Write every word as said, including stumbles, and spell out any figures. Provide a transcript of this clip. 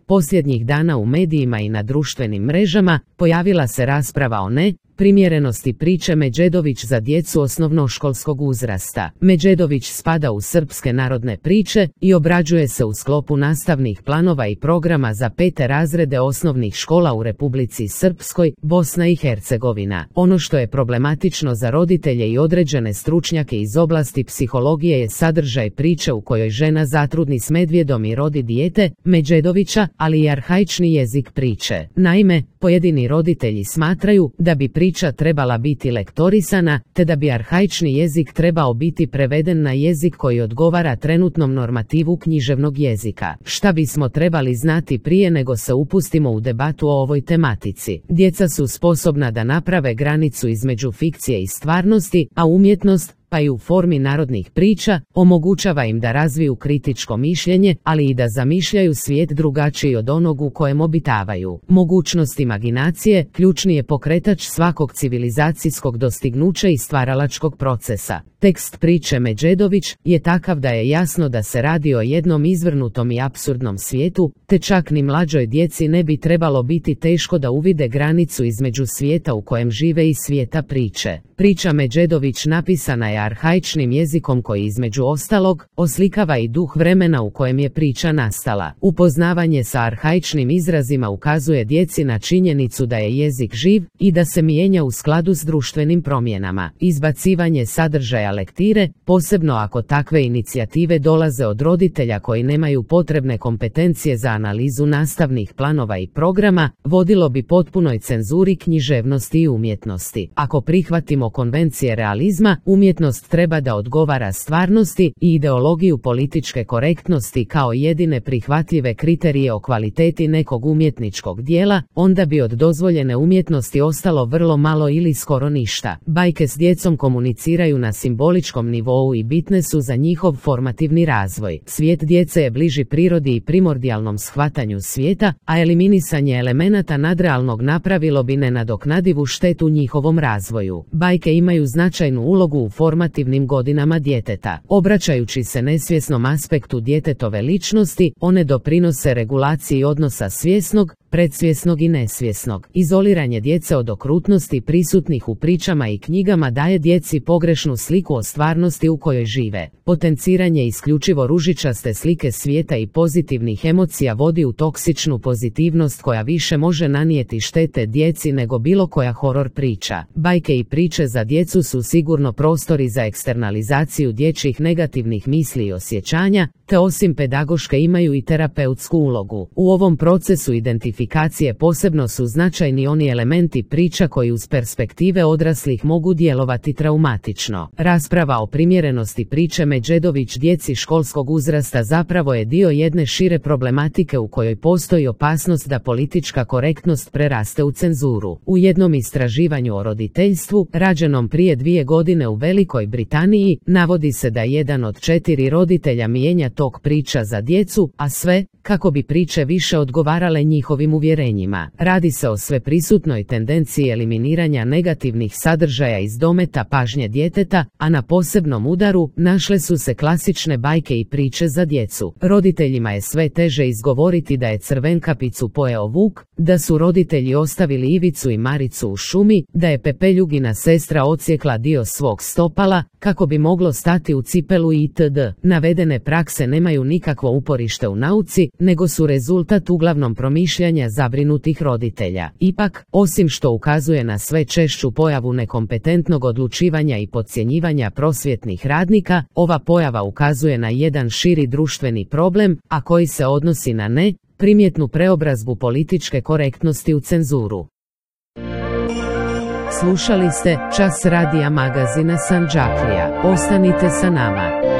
Posljednjih dana u medijima i na društvenim mrežama pojavila se rasprava o ne primjerenosti priče Međedović za djecu osnovnoškolskog uzrasta. Međedović spada u srpske narodne priče i obrađuje se u sklopu nastavnih planova i programa za pete razrede osnovnih škola u Republici Srpskoj, Bosna i Hercegovina. Ono što je problematično za roditelje i određene stručnjake iz oblasti psihologije je sadržaj priče u kojoj žena zatrudni s medvjedom i rodi dijete, Međedovića, ali i arhaični jezik priče. Naime, pojedini roditelji smatraju da bi priča trebala biti lektorisana, te da bi arhaični jezik trebao biti preveden na jezik koji odgovara trenutnom normativu književnog jezika. Šta bismo trebali znati prije nego se upustimo u debatu o ovoj tematici? Djeca su sposobna da naprave granicu između fikcije i stvarnosti, a umjetnost, pa i u formi narodnih priča, omogućava im da razviju kritičko mišljenje, ali i da zamišljaju svijet drugačiji od onog u kojem obitavaju. Mogućnost imaginacije ključni je pokretač svakog civilizacijskog dostignuća i stvaralačkog procesa. Tekst priče Međedović je takav da je jasno da se radi o jednom izvrnutom i apsurdnom svijetu, te čak ni mlađoj djeci ne bi trebalo biti teško da uvide granicu između svijeta u kojem žive i svijeta priče. Priča Međedović napisana je arhaičnim jezikom koji između ostalog oslikava i duh vremena u kojem je priča nastala. Upoznavanje sa arhaičnim izrazima ukazuje djeci na činjenicu da je jezik živ i da se mijenja u skladu s društvenim promjenama. Izbacivanje sadržaja lektire, posebno ako takve inicijative dolaze od roditelja koji nemaju potrebne kompetencije za analizu nastavnih planova i programa, vodilo bi potpunoj cenzuri književnosti i umjetnosti. Ako prihvatimo konvencije realizma, umjetnost treba da odgovara stvarnosti i ideologiju političke korektnosti kao jedine prihvatljive kriterije o kvaliteti nekog umjetničkog dijela, onda bi od dozvoljene umjetnosti ostalo vrlo malo ili skoro ništa. Bajke s djecom komuniciraju na simboličkom nivou i bitne su za njihov formativni razvoj. Svijet djece je bliži prirodi i primordijalnom shvatanju svijeta, a eliminisanje elemenata nadrealnog napravilo bi nenadoknadivu štetu njihovom razvoju. Bajke imaju značajnu ulogu u formativnim godinama djeteta. Obraćajući se nesvjesnom aspektu djetetove ličnosti, one doprinose regulaciji odnosa svjesnog, predsvjesnog i nesvjesnog. Izoliranje djece od okrutnosti prisutnih u pričama i knjigama daje djeci pogrešnu sliku o stvarnosti u kojoj žive. Potenciranje isključivo ružičaste slike svijeta i pozitivnih emocija vodi u toksičnu pozitivnost koja više može nanijeti štete djeci nego bilo koja horor priča. Bajke i priče za djecu su sigurno prostori za eksternalizaciju dječjih negativnih misli i osjećanja, te osim pedagoške imaju i terapeutsku ulogu. U ovom procesu identifikacije posebno su značajni oni elementi priča koji uz perspektive odraslih mogu djelovati traumatično. Rasprava o primjerenosti priče Međedović djeci školskog uzrasta zapravo je dio jedne šire problematike u kojoj postoji opasnost da politička korektnost preraste u cenzuru. U jednom istraživanju o roditeljstvu, rađenom prije dvije godine u Velikoj Britaniji, navodi se da jedan od četiri roditelja mijenja tok priča za djecu, a sve kako bi priče više odgovarale njihovim uvjerenjima. Radi se o sveprisutnoj tendenciji eliminiranja negativnih sadržaja iz dometa pažnje djeteta, a na posebnom udaru našle su se klasične bajke i priče za djecu. Roditeljima je sve teže izgovoriti da je Crvenkapicu pojeo vuk, da su roditelji ostavili Ivicu i Maricu u šumi, da je Pepeljugina sestra odsjekla dio svog stopala, kako bi moglo stati u cipelu itd. Navedene prakse nemaju nikakvo uporište u nauci, nego su rezultat uglavnom promišljanja zabrinutih roditelja. Ipak, osim što ukazuje na sve češću pojavu nekompetentnog odlučivanja i podcjenjivanja prosvjetnih radnika, ova pojava ukazuje na jedan širi društveni problem, a koji se odnosi na ne primjetnu preobrazbu političke korektnosti u cenzuru. Slušali ste Čas radija magazina Sandžaklija. Ostanite sa nama.